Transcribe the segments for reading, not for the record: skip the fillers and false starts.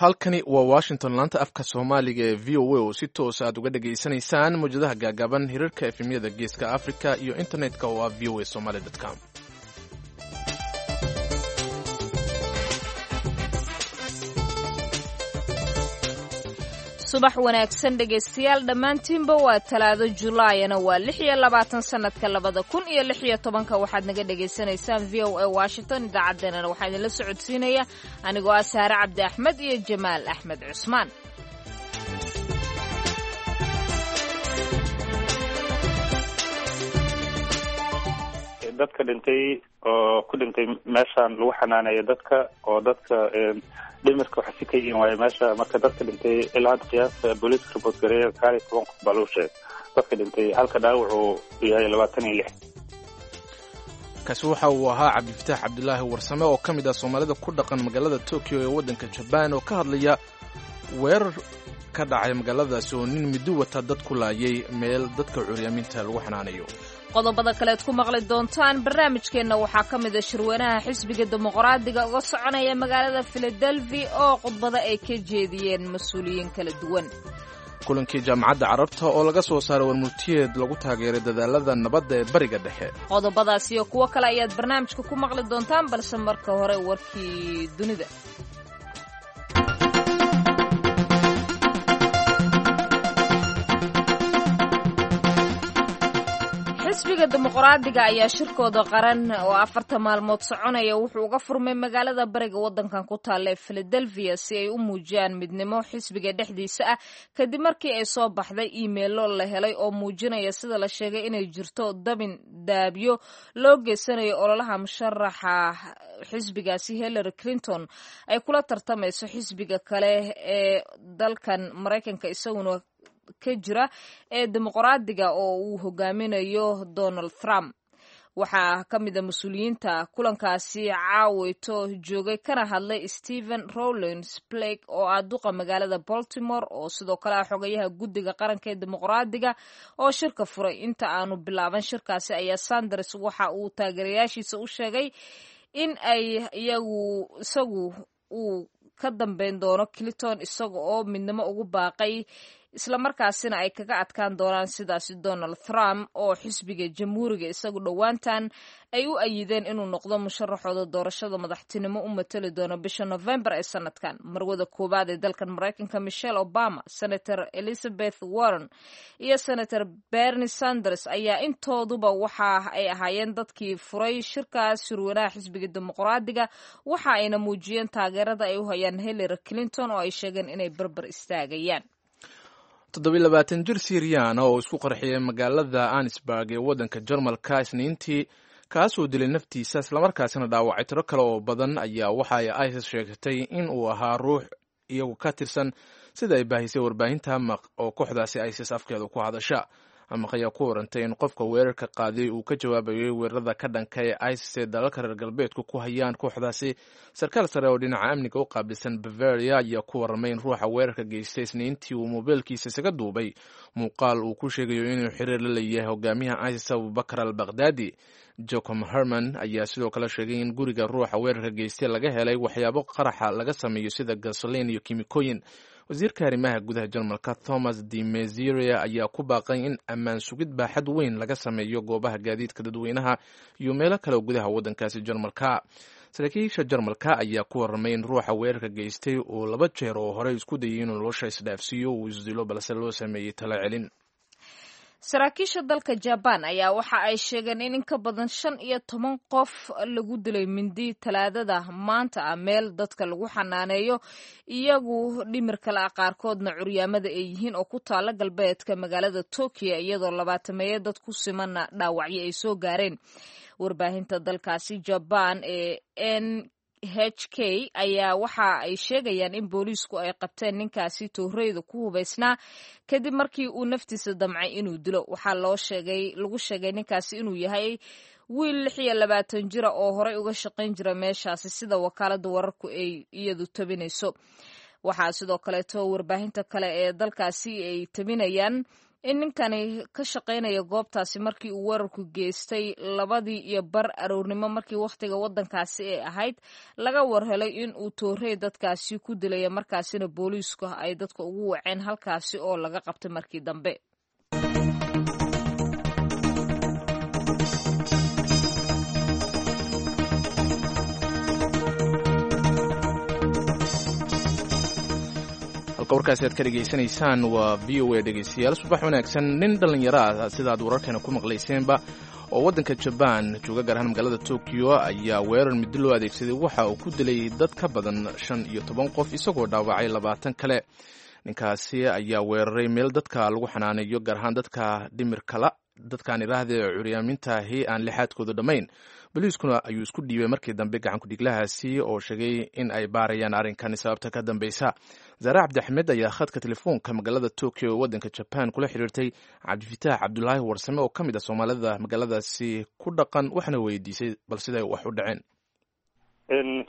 Halkani waa Washington, laanta afka Soomaaliga ee VOA, oo si toos aad uga dhegaysanaysaan mawjadaha gaagaaban, hirarka FM-yada Geeska Africa iyo internetka oo ah voasomaly.com. Subax wanaagsan dhegaystayaal dhammaantiinba. Waa Talaado, Julaayana waa 26, sanadka 2016. Waxaad naga dhagaysanaysaan VOA Washington. Idaacaddeenana waxaa idinla socodsiinaya anigoo ah Saare Cabdi Axmed iyo Jamaal Axmed Cusmaan. Dadka dhintay oo ku dhintay meeshaan lagu xanaaneeyo dadka oo dadka dhimirka waxa si ka yihiin waayo meesha. Marka dadka dhintay ilaa hadda qiyaasta booliiska report gareeya 19 qof baa lagu sheegay dadka dhintay, halka dhaawacu yahay 26. Kaasi waxa uu ahaa Cabdifataax Cabdilaahi Warsame oo ka mid ah Soomaalida ku dhaqan magaalada Tokyo ee waddanka Jabaan, oo ka hadlaya weerar ka dhacay magaaladaasi oo nin middo wata dad ku laayay meel dadka curyaaminta lagu xanaanayo. Qodobada kaleed ku maqli doontaan barnaamijkeenna waxaa ka mid a shirweynaha xisbiga Dimuqraadiga uga soconaya magaalada Filadelfia oo khudbada ay ka jeediyeen mas-uuliyiin kala duwan. Kulankii Jaamacadda Carabta oo laga soo saaray warmurtiyeed lagu taageeray dadaalada nabadda ee Bariga Dhexe. Qodobadaas iyo kuwo kale ayaad barnaamijka ku maqli doontaan, balse marka hore warkii dunida. Xisbiga Dimuqraadiga ayaa shirkooda qaran oo 40 maalmood soconaya wuxuu uga furmay magaalada bariga waddankan ku taalla ee Philadelphia si ay u muujiyaan midnimo xisbiga dhexdiisa ah, kadib markii ay soo baxday iimeelo la helay oo muujinaya, sida la sheegay, inay jirto dabin daabyo loo geysanayo ololaha musharaxa xisbigaasi Hillary Clinton ay kula tartamayso xisbiga kale ee dalkan Maraykanka isaguna ka jira ee Dimuqraadiga oo uu hogaaminayo Donald Trump. Waxaa ka mid a mas-uuliyiinta kulankaasi caawito joogay kana hadlay Stephen Rowlands Blake oo ah duqa magaalada Baltimore, oo sidoo kale ah xogayaha guddiga qaranka ee Dimuqraadiga oo shirka furay. Inta aanu bilaaban shirkaasi ayaa Sanders waxa uu taageerayaashiisa u sheegay in ay iyagu isagu uu ka dambeyn doono Clinton, isaga oo midnimo ugu baaqay, islamarkaasina ay kaga adkaan doonaan sidaasi Donald Trump oo xisbiga Jamhuuriga isagu dhowaantan ay u ayideen inuu noqdo musharaxooda doorashada madaxtinimo u matali doono bisha Novembar ee sanadkan. Marwada koowaad ee dalkan Maraykanka Michelle Obama, Senator Elizabeth Warren iyo Senator Bernie Sanders ayaa intooduba waxa ay ahaayeen dadkii furay shirkaas shirweynaha xisbiga Dimuqraadiga, waxa ayna muujiyeen taageerada ay u hayaan Hillary Clinton oo ay sheegeen inay barbar istaagayaan. 27 jir Siiriyaana oo isku qarxiyay magaalada Anisburg ee waddanka Jarmalka Isniintii, kaasoo dilay naftiisa islamarkaasina dhaawacay tiro kale oo badan, ayaa waxa ay ISIS sheegtay in uu ahaa ruux iyagu ka tirsan, sida ay baahisay warbaahinta Amaq oo kooxdaasi ISIS afkeeda ku hadasha. Amaq ayaa ku warantay in qofka weerarka qaaday uu ka jawaabayay weerarada ka dhanka ee ISIS ee dalalka reer galbeedku ku hayaan kooxdaasi. Sarkaal sare oo dhinaca amniga u qaabilsan Bavaria ayaa ku warramay in ruuxa weerarka geystay Isniintii uu moobeelkiisa isaga duubay muuqaal uu ku sheegayo inuu xiriir la leeyahay hogaamiyaha ISIS Abubakar al Baghdadi. Jocom Herman ayaa sidoo kale sheegay in guriga ruuxa weerarka geystay laga helay waxyaabo qaraxa laga sameeyo sida gasolin iyo kimikooyin. Wasiirka arrimaha gudaha Jarmalka Thomas de Meziria ayaa ku baaqay in ammaan sugid baaxad weyn laga sameeyo goobaha gaadiidka dadweynaha iyo meelo kale oo gudaha waddankaasi Jarmalka. Saraakiisha Jarmalka ayaa ku warramay in ruuxa weerarka geystay uu laba jeer oo horey isku dayay inuu nolosha isdhaafsiiyo uu isdilo, balse loo sameeyey talo celin. Saraakiisha dalka Jabaan ayaa waxa ay sheegeen in ka badan 15 qof lagu dilay mindi Talaadada maanta ah meel dadka lagu xanaaneeyo iyagu dhimirka la qaarkoodna curyaamada ay yihiin oo ku taala galbeedka magaalada Tokyo, iyadoo labaatameeya dad ku simanna dhaawacyo ay soo gaareen. Warbaahinta dalkaasi Jabaan ee NHK ayaa waxa ay sheegayaan in booliisku ay qabteen ninkaasi tooreyda ku hubaysnaa kadib markii uu naftiisa damcay inuu dilo. Waxaa loo sheegay lagu sheegay ninkaasi inuu yahay wiil 26 jira oo horey uga shaqayn jira meeshaasi, sida wakaaladda wararku ay iyadu tabinayso. Waxaa sidoo kaleeto warbaahinta kale ee dalkaasi ay tabinayaan in ninkani ka shaqaynaya goobtaasi markii uu weerarku geystay 2:30 aroornimo markii wakhtiga waddankaasi ay ahayd laga warhelay in uu toorey dadkaasi ku dilaya, markaasina booliisku ay dadka ugu waceen halkaasi oo laga qabtay markii dambe. Halka warkaasi aad ka dhegaysanaysaan waa v o a. Dhegaystayaal, subax wanaagsan. Nin dhallinyaro ah, sidaad wararkeena ku maqlayseenba, oo waddanka Jabaan jooga, gaar ahaan magaalada Tokyo, ayaa weerar muddo loo adeegsaday waxa uu ku dilay dad ka badan 15 qof, isagoo dhaawacay 20 kale. Ninkaasi ayaa weeraray meel dadka lagu xanaaneeyo, gaar ahaan dadka dhimirkala, dadkaan idhaahdee curyaamintahi aan lixaadkooda dhammayn. Boliiskuna ayuu isku dhiibay markii dambe gacan kudhiglahaasi, oo sheegay in ay baarayaan arrinkan sababta ka dambeysa. Zaare Cabdiaxmed ayaa khadka telefoonka magaalada Tokyo ee waddanka Jaban kula xiriirtay Cabdifitaax Cabdulaahi Warsame oo ka mid ah soomaalida magaaladaasi ku dhaqan, waxaana weydiisay bal siday wax u dhaceen.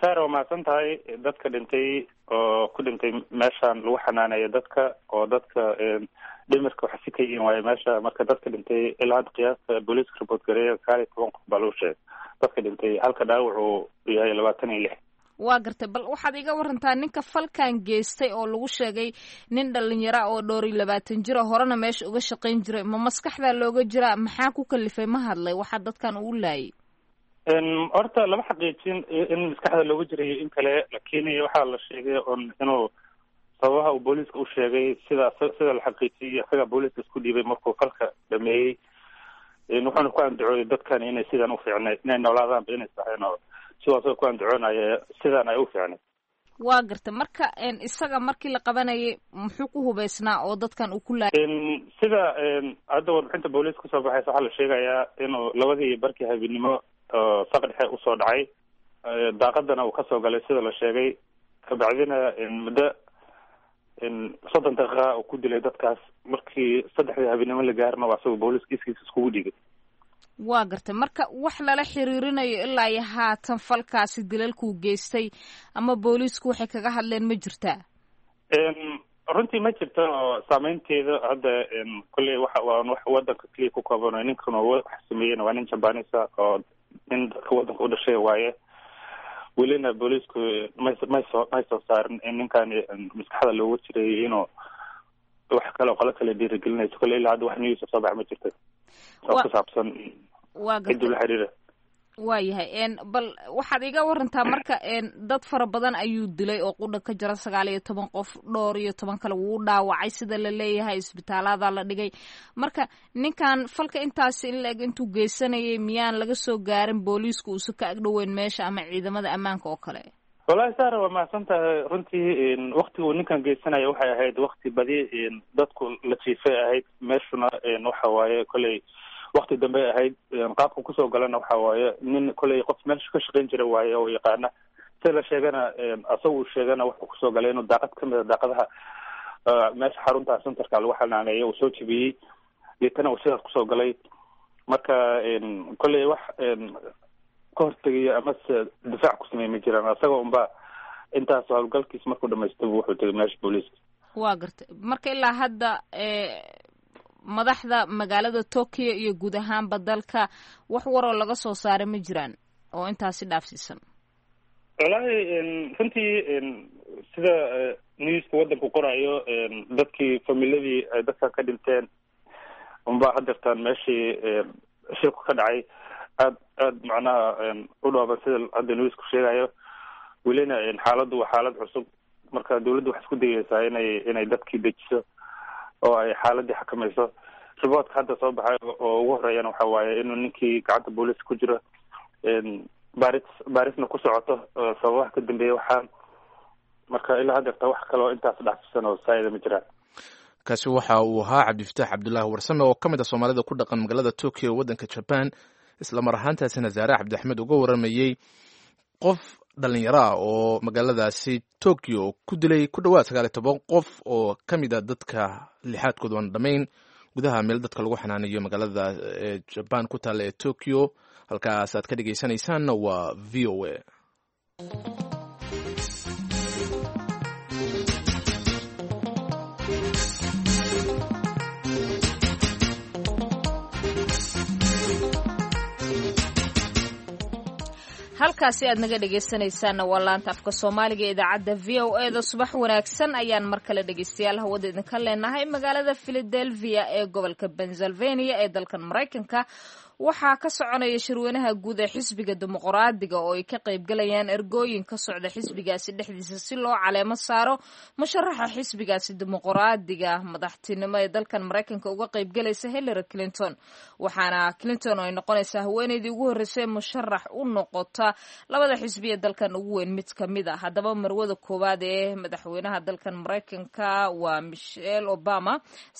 Saar, waa mahadsan tahay. Dadka dhintay oo ku dhintay meeshan lagu xanaaneeyo dadka oo dadka dhimirka waxa si ka yihiin waaye meesha. Marka dadka dhintay ilaa hadda qiyaasta booliiska report gareeya 19 qof baa lagu sheegay dadka dhintay, halka dhaawacu yahay 26. Waa gartay. Bal waxaad iga warantaa ninka falkan geystay oo lagu sheegay nin dhalinyara oo 24 jira, horena meesha uga shaqayn jiray, ma maskaxdaa looga jiraa? Maxaa ku kalifay? Ma hadlay waxaa dadkan uu laayay? Horta lama xaqiijin in maskaxda looga jirayo in kale, laakiin waxaa la sheegay on inuu sababaha uu booliiska u sheegay, sida la xaqiijiyay, isagaa booliiska isku dhiibay markuu falka dhameeyey, wuxuuna ku andacooday dadkan inay sidan u fiicnay inay noolaadaanba inay saxeen, oo sidoo asaga ku andacoonaya sidaan ay u fiicnay. Waa garta. Marka isaga markii la qabanayay muxuu ku hubeysnaa oo dadkan uu ku laayay? Sida hadda warbixinta booliiska kusoo baxaysa, waxaa la sheegayaa inuu 2:30 habeenimo saq dhexe usoo dhacay, daaqadana uu kasoo galay sida la sheegay, kabacdina muddo 30 daqiiqa uu ku dilay dadkaas. Markii 3dii habeenimo la gaarna waa isagoo booliiska iskiisa iskugu dhiibay. Waa gartay. Marka wax lala xiriirinayo ilaa iyo haatan falkaasi dilalkuu geystay ama booliisku waxay kaga hadleen ma jirtaa? Runtii ma jirto, oo saameynteeda hadda kolley waxa waa wax wadanka keliya ku kooban. Ninkan wax sameeyena waa nin jabanisa oo nin dadka wadanka u dhashay waaye. Welina booliisku may soo saarin in ninkani maskaxda looga jiray inuu wax kale oo qolo kale dhiirigelinayso. Kolley ilaa hadda wax news soo bax ma jirto oo ku saabsan ciduu la xiriira. Waayahay. Bal waxaad iga warantaa marka, dad fara badan ayuu dilay oo qudha ka jira 19 qof, 14 kale wuu dhaawacay sida la leeyahay, isbitaalada la dhigay. Marka ninkan falka intaasi in la-eg intuu geysanayay miyaan laga soo gaarin booliisku uusa ka agdhoweyn meesha ama ciidamada ammaanka oo kale? Wallahi Saara, waa mahadsan tahay. Runtii waktiga uu ninkan geysanaya waxay ahayd wakti badi dadku la jiifay ahayd, meeshuna waxa waaye kolley wakti dambe ahayd. Qaabka kusoo galana waxa waaye nin kolley qof meesha ka shaqayn jira waaye oo yaqaana. Sida la sheegana, asaga uu sheegana, wuxuu kusoo galay inuu daaqad kamid a daaqadaha meesha xarunta centerka lagu xanaaneeyo uu soo jebiyey, deetana uu sidaas kusoo galay. Marka kolley wax ka hortegayo amase difaac ku sameey ma jiraan, asaga unba intaas howlgalkiis markuu dhamaystaba wuxuu tegay meesha booliiska. Waa gartay. Marka ilaa hadda madaxda magaalada Tokyo iyo guud ahaanba dalka wax waroo laga soo saaray ma jiraan oo intaasi dhaafsiisan? Wallaahi runtii sida newska waddanku qorayo, dadkii familadii ay dadkan ka dhinteen unbaa hadeertaan meeshii shilku ka dhacay aad aad macnaha u dhooban, sida hadda newsku sheegayo. Welina xaaladdu waa xaalad cusub, marka dawladdu waxay isku dayeysaa inay dadkii dejiso oo ay xaaladii xakamayso. Riboortka hadda soo baxay oo ugu horeeyana waxa waaye inuu ninkii gacanta booliiska ku jiro, baarisna ku socoto sababaha ka dambeeya waxaa. Marka ilaa hadeerta wax kaloo intaas dhaafsan oo saayida ma jiraan. Kaasi waxa uu ahaa Cabdifataax Cabdulaahi Warsame oo ka mid ah soomaalida ku dhaqan magaalada Tokyo ee waddanka Jaban, isla mar ahaantaasina Zaare Cabdiaxmed uga waramayey qof dhalinyaro ah oo magaaladaasi Tokyo ku dilay ku dhowaad 19 qof oo ka mid a dadka lixaadkood aan dhammayn, gudaha meel dadka lagu xanaanayo magaalada Jaban ku taalla ee Tokyo. Halkaas aad ka dhegaysanaysaanna waa v o a. Halkaasi aad naga dhegaysanaysaanna waa laanta afka Soomaaliga ee idaacadda VOA-da. Subax wanaagsan ayaan mar kale dhegaystayaal hawada idinka leenahay. Magaalada Philadelphia ee gobolka Pennsylvania ee dalkan Maraykanka waxaa ka soconaya shirweynaha guud ee xisbiga Dimuqraadiga oo ay ka qaybgalayaan ergooyin ka socda xisbigaasi dhexdiisa si loo caleemo saaro musharaxa xisbigaasi Dimuqraadiga madaxtinimo ee dalkan Maraykanka uga qaybgalaysa, Hillary Clinton. Waxaana Clinton ay noqonaysaa haweeneydii ugu horreysay musharax u noqota labada xisbi ee dalkan ugu weyn mid ka mid a. Haddaba, marwada koowaad ee madaxweynaha dalkan Maraykanka waa Michelle Obama,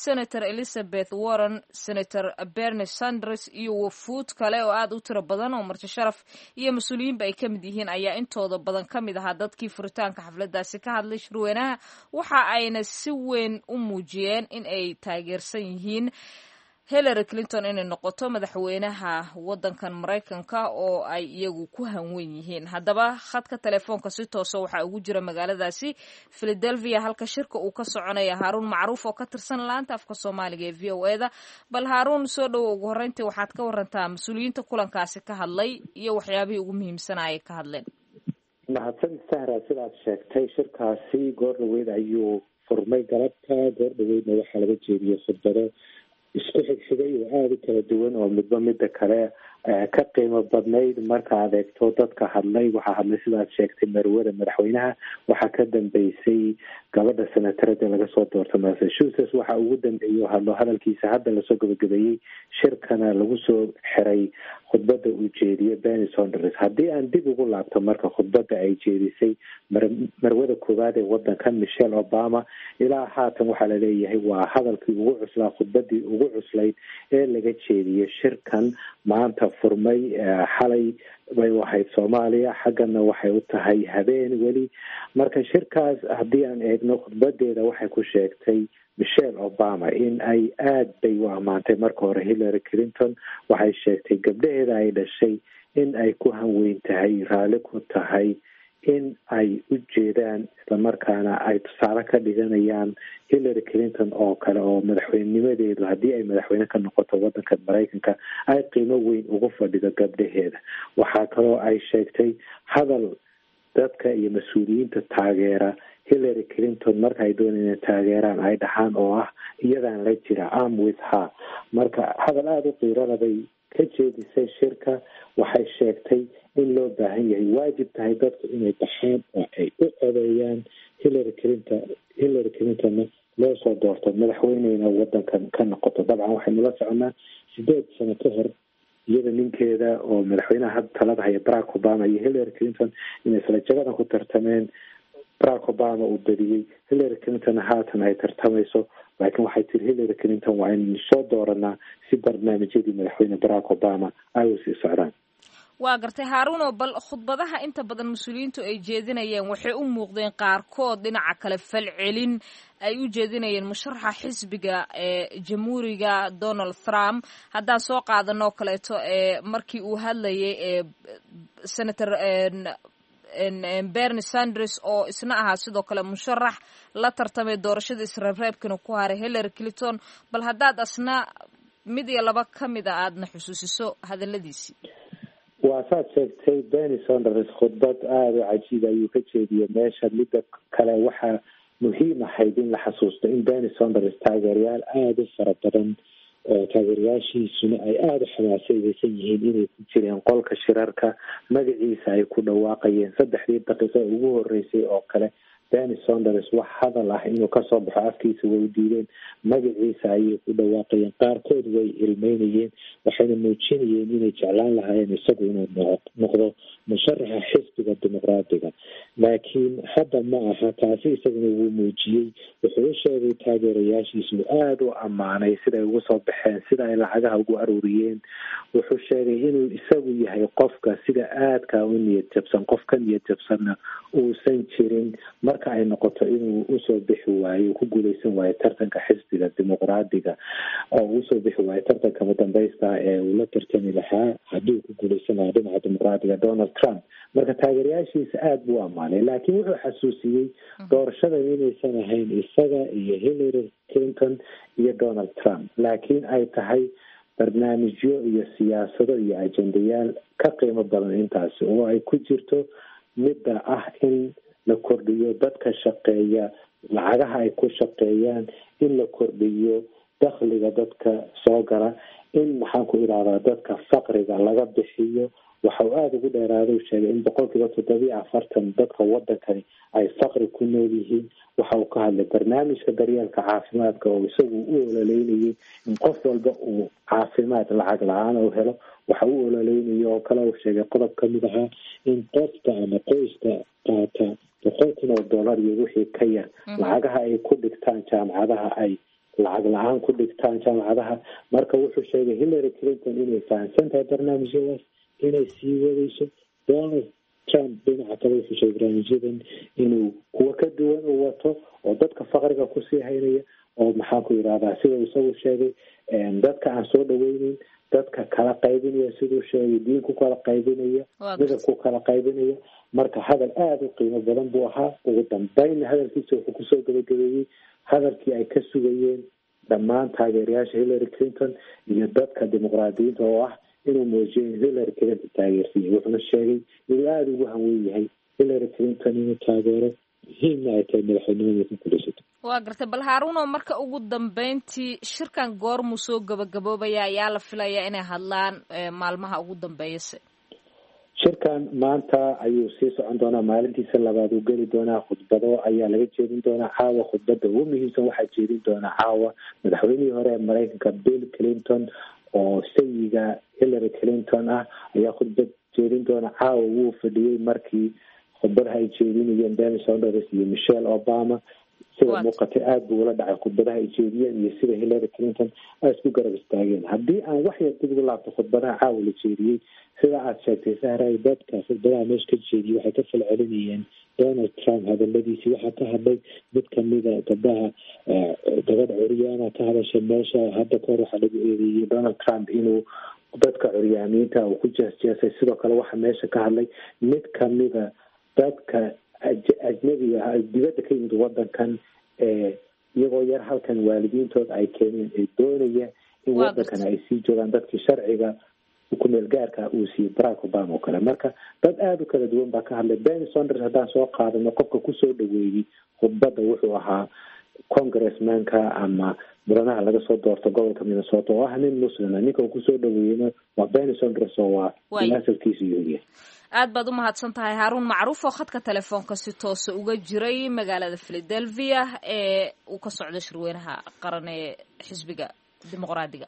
Senator Elizabeth Warren, Senator Bernie Sanders iyo wafuud kale oo aad u tiro badan oo marti sharaf iyo mas-uuliyiinba ay ka mid yihiin ayaa intooda badan ka mid ahaa dadkii furitaanka xafladaasi ka hadlay shirweynaha. Waxa ayna si weyn u muujiyeen in ay taageersan yihiin Hillary Clinton inay noqoto madaxweynaha wadankan Maraykanka oo ay iyagu ku hanwen yihiin. Haddaba, khadka telefoonka si toosa waxaa ugu jira magaaladaasi Philadelphia, halka shirka uu ka soconaya, Haaruun Macruuf oo ka tirsan laanta afka Soomaaliga ee VOA-da. Bal Haaruun, soo dhowo. Ugu horreyntii, waxaad ka warantaa mas-uuliyiinta kulankaasi ka hadlay iyo waxyaabihii ugu muhiimsanaa ay ka hadleen. Mahadsanid, Sahra. Sidaad sheegtay, shirkaasi goor dhaweyd ayuu furmay galabta. Goor dhaweydna waxaa laga jeediyey khudbado isku xigxigay oo aada u kala duwan oo midba midda kale ka qiimo badnayd. Marka aad eegto dadka hadlay, waxaa hadlay, sidaad sheegtay, marwada madaxweynaha. Waxaa ka dambeysay gabadha senatarada laga soo doorto Massachusetts. Waxaa ugu dambeeyey oo hadlo, hadalkiisa hadda lasoo gabagabeeyey, shirkana lagu soo xiray, khudbadda uu jeediyey Bernie Sanders. Haddii aan dib ugu laabto marka khudbadda ay jeedisay marwada koowaad ee wadanka, Michelle Obama, ilaa haatan waxaa laleeyahay waa hadalkii ugu cuslaa, khudbadii ugu cuslayd ee laga jeediyey shirkan maanta furmay. Xalay bay u ahayd Soomaaliya, xaggana waxay u tahay habeen weli. Marka shirkaas haddii aan eegno khudbadeeda, waxay ku sheegtay Michelle Obama in ay aada bay u ammaantay marka hore Hillary Clinton. Waxay sheegtay gabdhaheeda ay dhashay in ay ku hanweyn tahay, raalli ku tahay in ay u jeedaan, islamarkaana ay tusaale ka dhiganayaan Hillary Clinton oo kale, oo madaxweynenimadeedu, haddii ay madaxweyne ka noqoto wadanka Maraykanka, ay qiimo weyn ugu fadhido gabdhaheeda. Waxaa kaloo ay sheegtay hadal dadka iyo mas-uuliyiinta taageera Hillary Clinton marka ay doonayaan inay taageeraan ay dhaxaan, oo ah "iyadaan la jira", "I'm with her". Marka hadal aada u qiirana bay ka jeedisay shirka. Waxay sheegtay in loo baahan yahay, waajib tahay dadku inay baxaan oo ay u codeeyaan Hillary Clinton, Hillary Clintonna loo soo doorto, madaxweyneyna wadankan ka noqoto. Dabcan waxaynu la soconaa 8 sano ka hor iyada, ninkeeda oo madaxweynaha hadda talada haya Barack Obama, iyo Hillary Clinton inay isla jagadan ku tartameen. Barack Obama uu badiyey, Hillary Clinton haatan ay tartamayso. Laakiin waxay tiri Hillary Clinton waa inaynu soo dooranaa si barnaamijyadii madaxweyne Barack Obama ay u sii socdaan. Waa gartay, Haaruuno. Bal khudbadaha inta badan mas-uuliyiintu ay jeedinayeen waxay u muuqdeen qaarkood dhinaca kale falcelin ay u jeedinayeen musharaxa xisbiga ee Jamhuuriga, Donald Trump. Haddaan soo qaadanoo kaleeto ee markii uu hadlayay ee Senator Bernie Sanders, oo isna ahaa sidoo kale musharax la tartamay doorashada isreebreebkana ku haray Hillary Clinton, bal haddaad asna mid iyo laba ka mid a aadna xusuusiso hadaladiisii. Waa saad sheegtay, Bernie Sanders khudbad aada u cajiib ayuu ka jeediyey meesha. Midda kale, waxaa muhiim ahayd in la xasuusto in Bernie Sanders taageerayaal aada u fara badan oo taageerayaashiisuna ay aada u xamaasadeysan yihiin inay ku jireen qolka shirarka. Magaciisa ay ku dhawaaqayeen 3dii daqiiqo ugu horeysay oo kale. Bernie Sanders wax hadal ah inuu kasoo baxo afkiisa way u diideen. Magaciisa ayay ku dhawaaqayeen, qaarkood way ilmeynayeen, waxayna muujinayeen inay jeclaan lahaayeen isagu inuu noqdo musharaxa xisbiga Dimuqraadiga. Laakiin hadda ma aha taasi. Isaguna wuu muujiyey, wuxuu u sheegay taageerayaashiisu, aada u ammaanay siday ugu soo baxeen, sida ay lacagaha ugu aruuriyeen. Wuxuu sheegay inuu isagu yahay qofka sida aadka u niyad jabsan, qof ka niyad jabsanna uusan jirin marka ay noqoto inuu usoo bixi waayo, ku guuleysan waayo tartanka xisbiga Dimuqraadiga, oo usoo bixi waayo tartanka madambeysta ee uu la tartami lahaa, haddii uu ku guuleysan lahaa dhinaca Dimuqraadiga, Donald Trump. Marka taageerayaashiisa aada buu ammaanay, laakiin wuxuu xasuusiyey doorashadan inaysan ahayn isaga iyo Hillary Clinton iyo Donald Trump, laakiin ay tahay Barnaamijyo iyo siyaasado iyo ajendayaal ka qiimo badan intaasi, oo ay ku jirto midda ah in la kordhiyo dadka shaqeeya lacagaha ay ku shaqeeyaan, in la kordhiyo dakhliga dadka soo gala, in maxaan ku idhahdaa dadka faqriga laga bixiyo. Waxa uu aada ugu dheeraaday u sheegay in 47% dadka wadankani ay faqri ku nool yihiin. Waxa uu ka hadlay barnaamijka daryeelka caafimaadka oo isagu u ololeynayay in qof walba uu caafimaad lacag la-aan u helo. Waxa uu ololeynayay oo kale uu sheegay qodob kamid ahaa in qofka ama qoyska qaata $100,000 iyo wixii ka yar lacagaha ay ku dhigtaan jaamacadaha ay lacag la-aan ku dhigtaan jaamacadaha. Marka wuxuu sheegay Hillary Clinton inay fahamsan tahay barnaamijyadaas, inay sii wadayso. Donald Trump dhinaca kale wuxuu sheegay barnaamijyadan inuu kuwo ka duwan u wato oo dadka faqriga kusii haynaya, oo maxaan ku yidhahdaa sida isagu sheegay dadka aan soo dhaweyneyn, dadka kala qaybinaya, siduu sheegay diin ku kala qaybinaya, midab ku kala qaybinaya. Marka hadal aada u qiimo badan buu ahaa. Ugu dambeynna hadalkiisa wuxuu kusoo gabagabeeyey hadalkii ay ka sugayeen dhammaan taageerayaasha Hillary Clinton iyo dadka dimuqraadiyiinta, oo ah inuu muujiyo in Hillary Clinton taageersiiyey. Wuxuuna sheegay inuu aada ugu hanweyn yahay Hillary Clinton inuu taageero, muhiimna ay tahay madaxweynimada ku guulaysato. Waa gartay. Bal Haaruno, marka ugu dambeyntii shirkan goormuu soo gabagaboobaya? Ayaa la filayaa inay hadlaan maalmaha ugu dambeeyase? Shirkan maanta ayuu sii socon doonaa, maalintiisa labaad uu geli doonaa. Khudbado ayaa laga jeedin doonaa caawa. Khudbada ugu muhiimsan waxaa jeedin doonaa caawa madaxweynihii hore ee Maraykanka Bill Clinton, oo sayiga Hillary Clinton ah, ayaa khudbad jeedin doona caawa. Wuu fadhiyey markii khudbadaha ay jeedinayeen Bernie Sanders iyo Michelle Obama. Sida muuqatay aada buu ula dhacay khudbadaha ay jeediyeen iyo sida Hillary Clinton ay isku garab istaageen. Haddii aan wax yar dib ugu laabto khudbadaha caawa la jeediyey, sida aada sheegtay Sahray, dadka khudbadaha meesha ka jeediyey waxay ka falcelinayeen Donald Trump hadaladiisii. Waxaa ka hadlay mid kamida gabdhaha, gabadh curyaana ka hadashay meesha. Hadda kahor waxaa lagu eedeeyey Donald Trump inuu dadka curyaamiinta uu ku jeesjeesay. Sidoo kale waxaa meesha ka hadlay mid kamida dadka ajnabiga ah, dibadda ka yimid wadankan, ee iyagoo yar halkan waalidiintood ay keeneen, ee doonaya in wadankan ay sii joogaan, dadkii sharciga kumeel gaarka uu siiyey Barack Obama oo kale. Marka dad aada u kala duwan baa ka hadlay. Bernie Sanders haddaan soo qaadano, qofka kusoo dhaweeyey khudbadda wuxuu ahaa congressmanka ama mudanaha laga soo doorto gobolka Minnesota, oo ah nin muslima. Ninka uu kusoo dhaweeyeyna waa Bernie Sanders, oo waa asalkiisu yahuudiya. Aad baad u mahadsan tahay Haaruun Macruuf, oo khadka telefoonka si toosa uga jiray magaalada Philadelphia ee uu ka socdo shirweynaha qaran ee xisbiga Dimuqraadiga.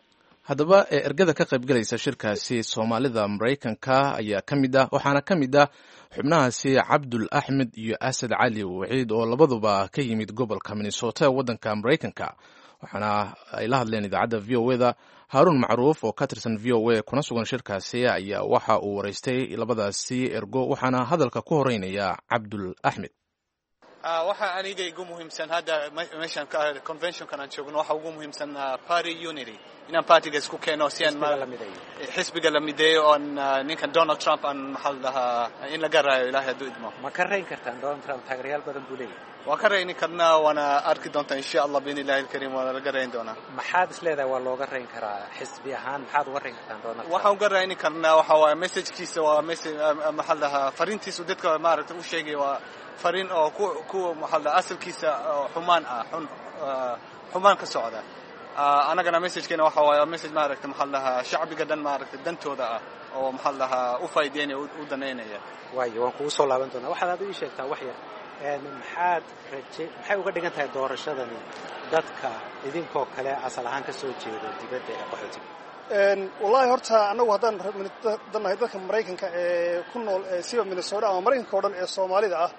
Haddaba ergada ka qaybgalaysa shirkaasi Soomaalida Maraykanka ayaa ka mid ah, waxaana ka mid ah xubnahaasi Cabdul Axmed iyo Asad Cali Waciid, oo labaduba ka yimid gobolka Minnesota ee waddanka Maraykanka. Waxaana ay la hadleen idaacadda VOA da. Haaruun Macruuf oo ka tirsan VOA kuna sugan shirkaasi ayaa waxa uu waraystay labadaasi ergo, waxaana hadalka ku horeynaya Cabdul Axmed. Waxa aniga igu muhiimsan hadda meeshan conventionkan aan joogno, waxa ugu muhiimsan party unity, inaan partyga isku keeno si aan xisbiga la mideeyo, oon ninkan Donald Trump aan maxaa la dhahaa in laga raayo, Ilaahay hadduu idmo. Ma ka rayn kartaan Donald Trump? Taageerayaal badan buu leeyahay. Waan ka rayni karnaa, waana arki doontaa insha Allah biidni illahi alkariim, waana laga rayn doonaa. Maxaad is leedahay waa looga rayn karaa? Xisbi ahaan maxaad uga rayn kartaan Donald Trump? Waxaan uga rayni karnaa waxa waaye messagekiisa waa message, maxaa la dhahaa, fariintiisu dadka maaragtay u sheegay waa fariin oo ku maxaa la dhahaa asalkiisa xumaan ah, xun xumaan ka socda. Anagana messagekeena waxa waaye message maaragtay maxaa la dhahaa shacbiga dhan maaragtay dantooda ah, oo maxaa la dhahaa u faa'iideynaya, u danaynaya. Waayo, waan kugu soo laaban doonaa. Waxaad aad ii sheegtaa wax yar, maxaad raje, maxay uga dhigan tahay doorashadani dadka idinkoo kale asal ahaan ka soo jeeda dibadda ee qaxootiga? Wallahi horta annagu haddaan nahay dadka Maraykanka ee ku nool siba Minnesota ama Maraykanka o dhan ee Soomaalida ah,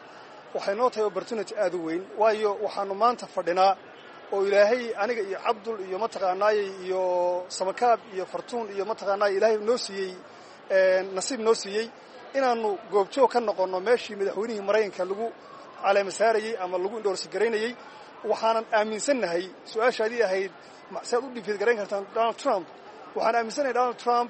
waxay noo tahay opportunity aad u weyn, waayo waxaanu maanta fadhinaa oo Ilaahay aniga iyo Cabdul iyo mataqaanaayey iyo Samakaab iyo Fartuun iyo mataqaanaay Ilaahay noo siiyey, nasiib noo siiyey inaannu goobjoog ka noqonno meeshii madaxweynihii Maraykanka lagu caleema saarayey ama lagu endorse garaynayey. Waxaanan aaminsannahay, su-aashaadii ahayd si aad u defeat garayn kartaan Donald Trump, waxaan aaminsannahay Donald Trump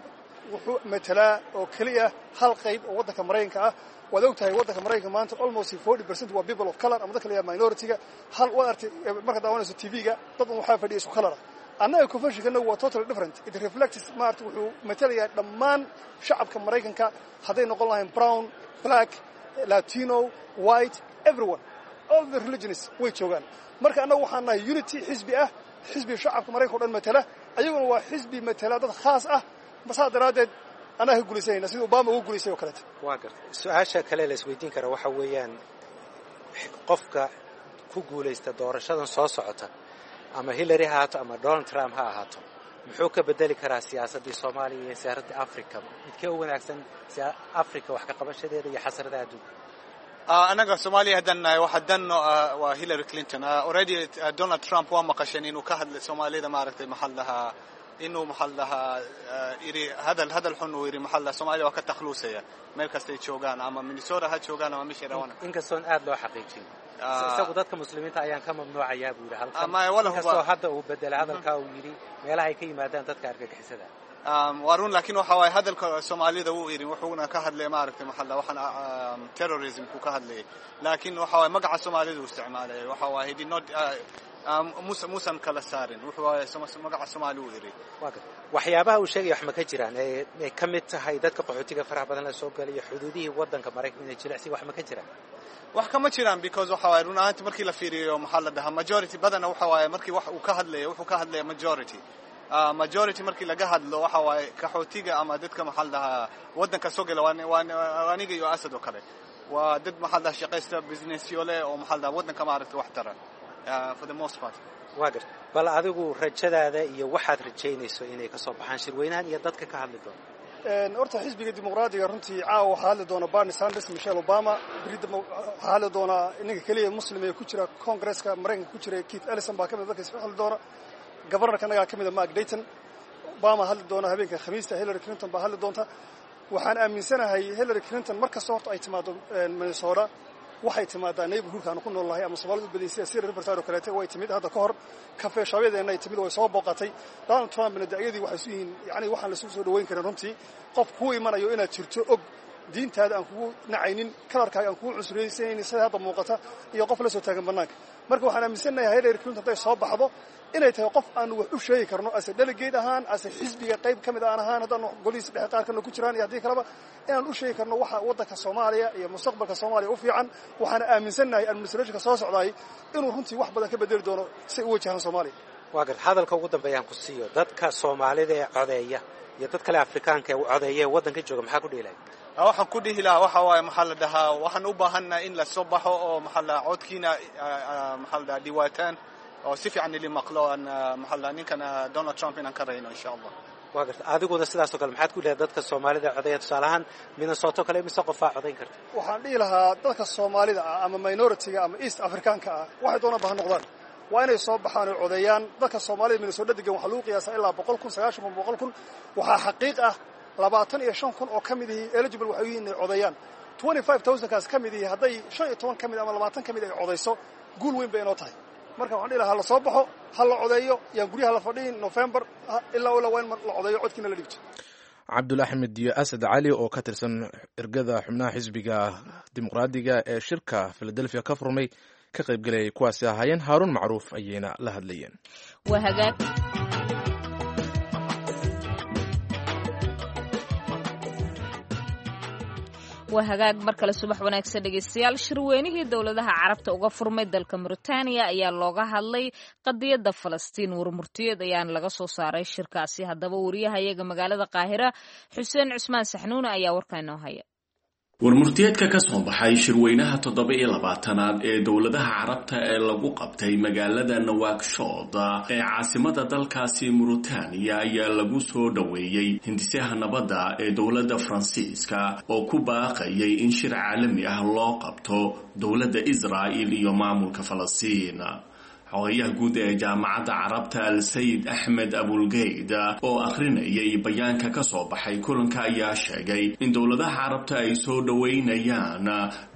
wuxuu matalaa oo keliya hal qayb oo waddanka Maraykanka ah. Waad og tahay waddanka Maraykanka maanta almost 40% waa people of color ama dadka la yidhaha minority-ga. Hal waad artay markaad daawanayso TV-ga, dad un waxaa fadhiya isku color ah. Annaga conventionkanagu waa totally different. It reflects, maarata, wuxuu matalayaa dhammaan shacabka Maraykanka, hadday noqon lahayn brown, black, Latino, white, everyone, all the religions way joogaan. Marka annagu waxaan nahay unity xisbi ah, xisbi shacabka Maraykanka o dhan matala. Ayaguna waa xisbi matala dad khaas ah. Saa daraaddeed annaga ka guulaysanayna sida Obama ugu guulaystay oo kaleeto. Waa garta. Su-aasha kale la isweydiin kara waxa weeyaan, qofka ku guulaysta doorashadan soo socota, ama Hillary ha ahaato ama Donald Trump ha ahaato, muxuu ka bedeli karaa siyaasaddii Soomaaliya iyo siyaasaddii Africa? Midkee u wanaagsan Africa wax ka qabashadeeda iyo xasradaha adduunka? Anaga Soomaaliya haddaan nahay, waxa danno waa Hillary Clinton. Already Donald Trump waa maqasheen inuu ka hadlay Soomaalida, maaragtay, maxaa la dhahaa, inuu, maxaa la dhahaa, yidhi hadal xun uu yidhi, maxaa la dhahaa, Soomaaliya waa ka takhluusaya meel kastay joogaan, ama Minnesota ha joogaan ama meeshay rabaan. Inkastoon aad loo xaqiijin, isagu dadka Muslimiinta ayaan ka mamnuucayaa buu yidhi halkan, inkastoo hadda uu bedelay hadalkaa, uu yidhi meelaha ay ka yimaadaan dadka argagixisada. Waa run, laakiin waxa waaye hadalka Soomaalida wuu yidhi, wuxuuna ka hadlay, maaragtay, maxaa la, waxaan terrorism ku ka hadlayay, laakiin waxa waaye magaca Soomaalida uu isticmaalay. Waxa waaye he did not muusan kala saarin, wuxuu waaye magaca Soomaali uu yidhi. Waxyaabaha uu sheegaya wax ma ka jiraan ay ka mid tahay dadka qaxootiga faraha badan la soo galayo, xuduudihii waddanka Maraykanka inay jilicsi, wax ma ka jiraan? Wax kama jiraan, because waxa waaye run ahaanti markii la fiiriyo, maxaa la dhahaa, majority badana waxa waaye markii wax uu ka hadlayo, wuxuu ka hadlaya majority. Majority markii laga hadlo, waxa waaye qaxootiga ama dadka, maxaa la dhahaa, waddanka soo gala, waa aniga iyo Asad oo kale, waa dad, maxaa la dhahaa, shaqaysta, businessyo leh oo, maxaa la dhahaa, waddanka, maaragtay, wax tara for the most part. Waa garta. Bal adigu rajadaada iyo waxaad rajaynayso inay ka soo baxaan shirweynahan iyo dadka ka hadli doona. Horta xisbiga Dimuqraadiga runtii caawa waxaa hadli doona Bernie Sanders, Michelle Obama. Berri waxaa hadli doonaa ninka keliya Muslim ee ku jira Congresska Maraykanka ku jira, Keith Ellison baa ka mid dadka hadli doona. Governorka annagaa ka mid a, Mark Dayton. Obama hadli doona habeenka Khamiista, Hillary Clinton baa hadli doonta. Waxaan aaminsanahay Hillary Clinton mar kasta horta ay timaado Minnesota, waxay timaadaa neighborhoodka aanu ku nool nahay ama Soomaalida u badaysa, sida Riverside oo kaleete. Way timid hadda ka hor, coffee shopyadeena ay timid, way soo booqatay. Donald Trumpna da'yadii waxay isu yihiin, yacni, waxaan la soo dhaweyn karin runtii. Qof kuu imanayo inaad jirto og, diintaada aan kugu nacaynin, colorkaaga aan kugu cusraysanaynin sida hadda muuqata, iyo qof la soo taagan bannaanka. Marka waxaan aaminsanahay Hillary Clinton hadday soo baxdo inay tahay qof aanu wax u sheegi karno, ase delegate ahaan, ase xisbiga qayb ka mid aan ahaan, haddaanu golihiisa dhexe qaar kalena ku jiraan iyo haddii kaleba, inaan u sheegi karno waxa waddanka Soomaaliya iyo mustaqbalka Soomaaliya u fiican. Waxaana aaminsannahay administrationka soo socdaay inuu runtii wax badan ka bedeli doono si ay u wajahaan Soomaaliya. Waa garta. Hadalka ugu dambeeyaan ku siiyo, dadka Soomaalida ee codeeya iyo dad kale Afrikaanka ee codeeya ee waddanka jooga, maxaa ku dhihi lahay? Waxaan ku dhihi lahaa waxa waaye, maxaa la dhahaa, waxaan u baahannahay in la soo baxo oo, maxaa la dhahaa, codkiina, maxaa la dhahaa, dhiwaataan oo si fiican ili maqlo aan, maxaa la dhahaa, ninkan Donald Trump inaan ka rayno, insha Allah. Waa garta. Adiguna sidaasoo kale, maxaad ku leedahay dadka Soomaalida codeeya? Tusaale ahaan Minnesota kale imise qofaa codayn karta? Waxaan dhihi lahaa dadka Soomaalida ah ama minority-ga ama East Africaanka ah, waxay doonaan ba ha noqdaan, waa inay soo baxaan oo codeeyaan. Dadka Soomaalida Minnesota degan waxaa lagu qiyaasaa ilaa 100,000, 90,000, 100,000. Waxaa xaqiiq ah 25,000 oo ka mid ihi eligible waxay yihiin inay codeeyaan. 25,000kaas ka mid ihi, hadday 15 ka mid ama 20 ka mid ay codayso, guul weyn bay inoo tahay. Marka waxaan dhihi lahaa la soo baxo, ha la codeeyo, yaan guryaha la fadhiyin. November ilaa ilaa waa in la codeeyo, codkiina la dhibto. Cabdul Axmed iyo Asad Cali oo ka tirsan ergada xubnaha xisbiga Dimuqraadiga ee shirka Philadelphia ka furmay ka qaybgalayay kuwaasi ahaayeen. Haaruun Macruuf ayayna la hadlayeen. Waa hagaag. Waa hagaag, mar kale subax wanaagsan dhegeystayaal. Shirweynihii dowladaha Carabta uga furmay dalka Mauritania ayaa looga hadlay qadiyadda Falastiin. Warmurtiyeed ayaana laga soo saaray shirkaasi. Haddaba wariyahayaga magaalada Qaahira, Xuseen Cusmaan Saxnuune, ayaa warkaa inoo haya. Warmurtiyeedka ka soo baxay shirweynaha 27aad ee dowladaha Carabta ee lagu qabtay magaalada Nawakshood ee caasimada dalkaasi Muritaaniya ayaa lagu soo dhoweeyey hindisaha nabadda ee dowladda Faransiiska oo ku baaqayay in shir caalami ah loo qabto dowladda Israa'il iyo maamulka Falastiin. Xogayaha guud ee Jaamacadda Carabta, Al-Sayid Axmed Abulgeyd, oo akhrinayay bayaanka ka soo baxay kulanka ayaa sheegay in dowladaha Carabta ay soo dhoweynayaan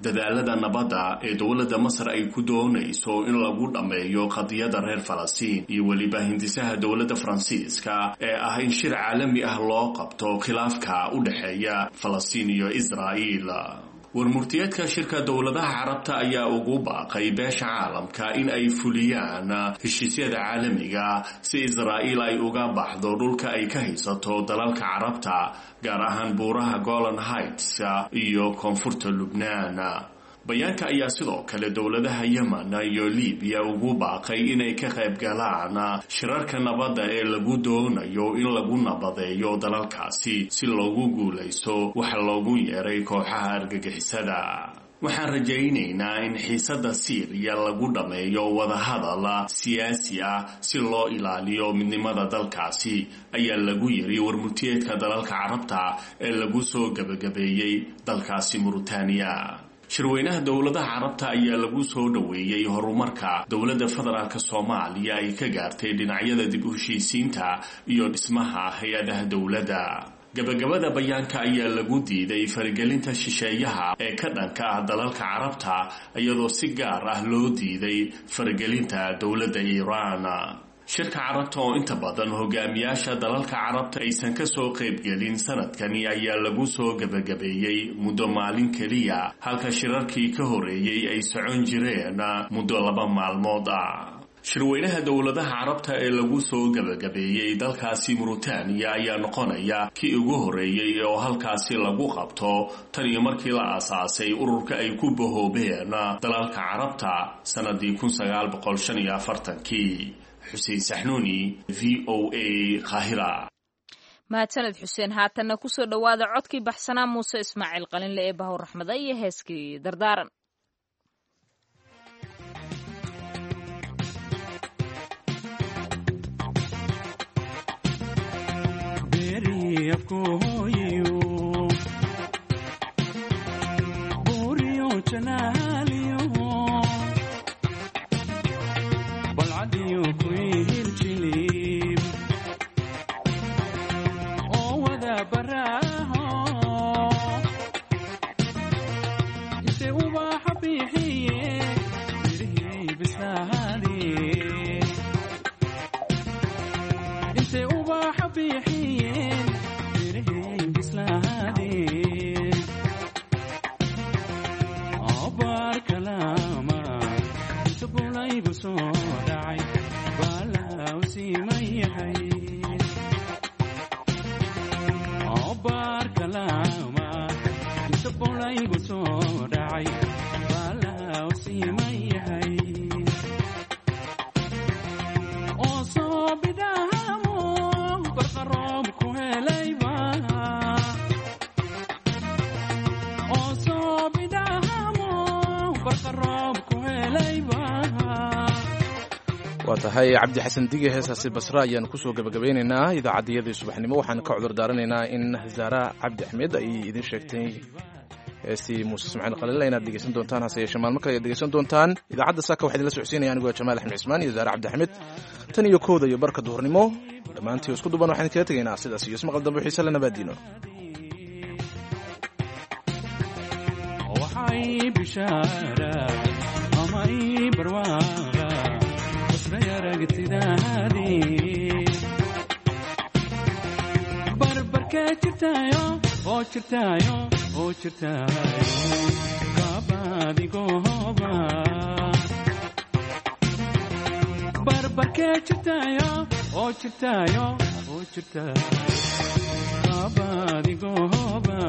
dadaalada nabadda ee dowladda Masar ay ku doonayso in lagu dhammeeyo qadiyada reer Falastiin iyo weliba hindisaha dowladda Faransiiska ee ah in shir caalami ah loo qabto khilaafka u dhexeeya Falastiin iyo Israa'iil. Warmurtiyeedka shirka dowladaha Carabta ayaa ugu baaqay beesha caalamka in ay fuliyaan heshiisyada caalamiga si Israa'iil ay uga baxdo dhulka ay ka haysato dalalka Carabta, gaar ahaan buuraha Golan Heights iyo koonfurta Lubnaan. Bayaanka ayaa sidoo kale dowladaha Yemen iyo Libiya ugu baaqay inay ka qayb galaan shirarka nabadda ee lagu doonayo in lagu nabadeeyo dalalkaasi si loogu guulaysto waxa loogu yeeray kooxaha argagixisada. Waxaan rajaynaynaa in xiisadda Siiriya lagu dhammeeyo wadahadal siyaasi ah si loo ilaaliyo midnimada dalkaasi, ayaa lagu yiri warmurtiyeedka dalalka Carabta ee lagu soo gebagabeeyey dalkaasi Muritaaniya. Shirweynaha dowladaha Carabta ayaa lagu soo dhoweeyey horumarka dowladda federaalk Soomaaliya ay ka gaartay dhinacyada dib u heshiisiinta iyo dhismaha hay-adaha dowladda. Gabagabada bayaanka ayaa lagu diiday faragelinta shisheeyaha ee ka dhanka ah dalalka Carabta, iyadoo si gaar ah loo diiday faragelinta dowladda Iiraan. Shirka Carabta oo inta badan hogaamiyaasha dalalka Carabta aysan ka soo qaybgelin sanadkani ayaa lagu soo gebagabeeyey muddo maalin keliya, halka shirarkii ka horeeyey ay socon jireen muddo 2 maalmood ah. Shirweynaha dowladaha Carabta ee lagu soo gebagabeeyey dalkaasi Muritaaniya ayaa noqonaya kii ugu horeeyey oo halkaasi lagu qabto tan iyo markii la aasaasay ururka ay ku bahoobeen dalalka Carabta sanadii 1945kii. Xuseen Saxnuuni, VOA, Qaahira. Mahadsaned Xuseen. Haatanna kusoo dhowaada codkii baxsanaa Muuse Ismaaciil Qalinle ee Bahur Raxmada iyo heeskii Dardaaran. Waa tahay Cabdi Xasan Dige, heesaasi Basra ayaanu kusoo gebagabeynaynaa idaacaddiyadii subaxnimo. Waxaan ka cudur daaranaynaa in Zaara Cabdi Axmed ay idin sheegtay heestii Muuse Ismaaciil Qalinle inaad dhegeysan doontaan, hase yeeshee maalmo kale ayaad dhegeysan doontaan. Idaacadda saaka waxaa idinla socodsiinaya anigoo Jamaal Axmed Cismaan iyo Zaara Cabdi Axmed. Tan iyo 1da iyo barka duhurnimo dhammaantii isku duban waxaan idinkaga tegaynaa sidaas iyo ismaqal dambe xiise le nabaadiino. Barbarkee jirtaayo oo jirtaayo oo jirtaayo kaabaadigohoba. Barbarkee jirtaayo oo jirtaayo oo jirtaayo kaabaadigohoba.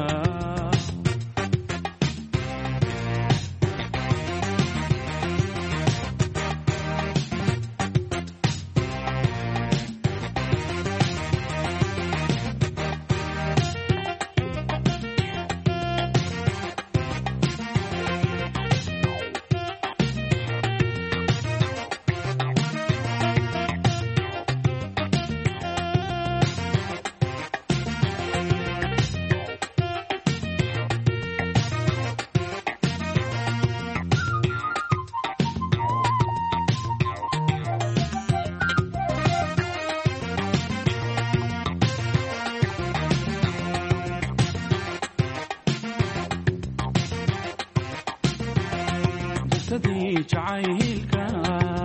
Jacaylka.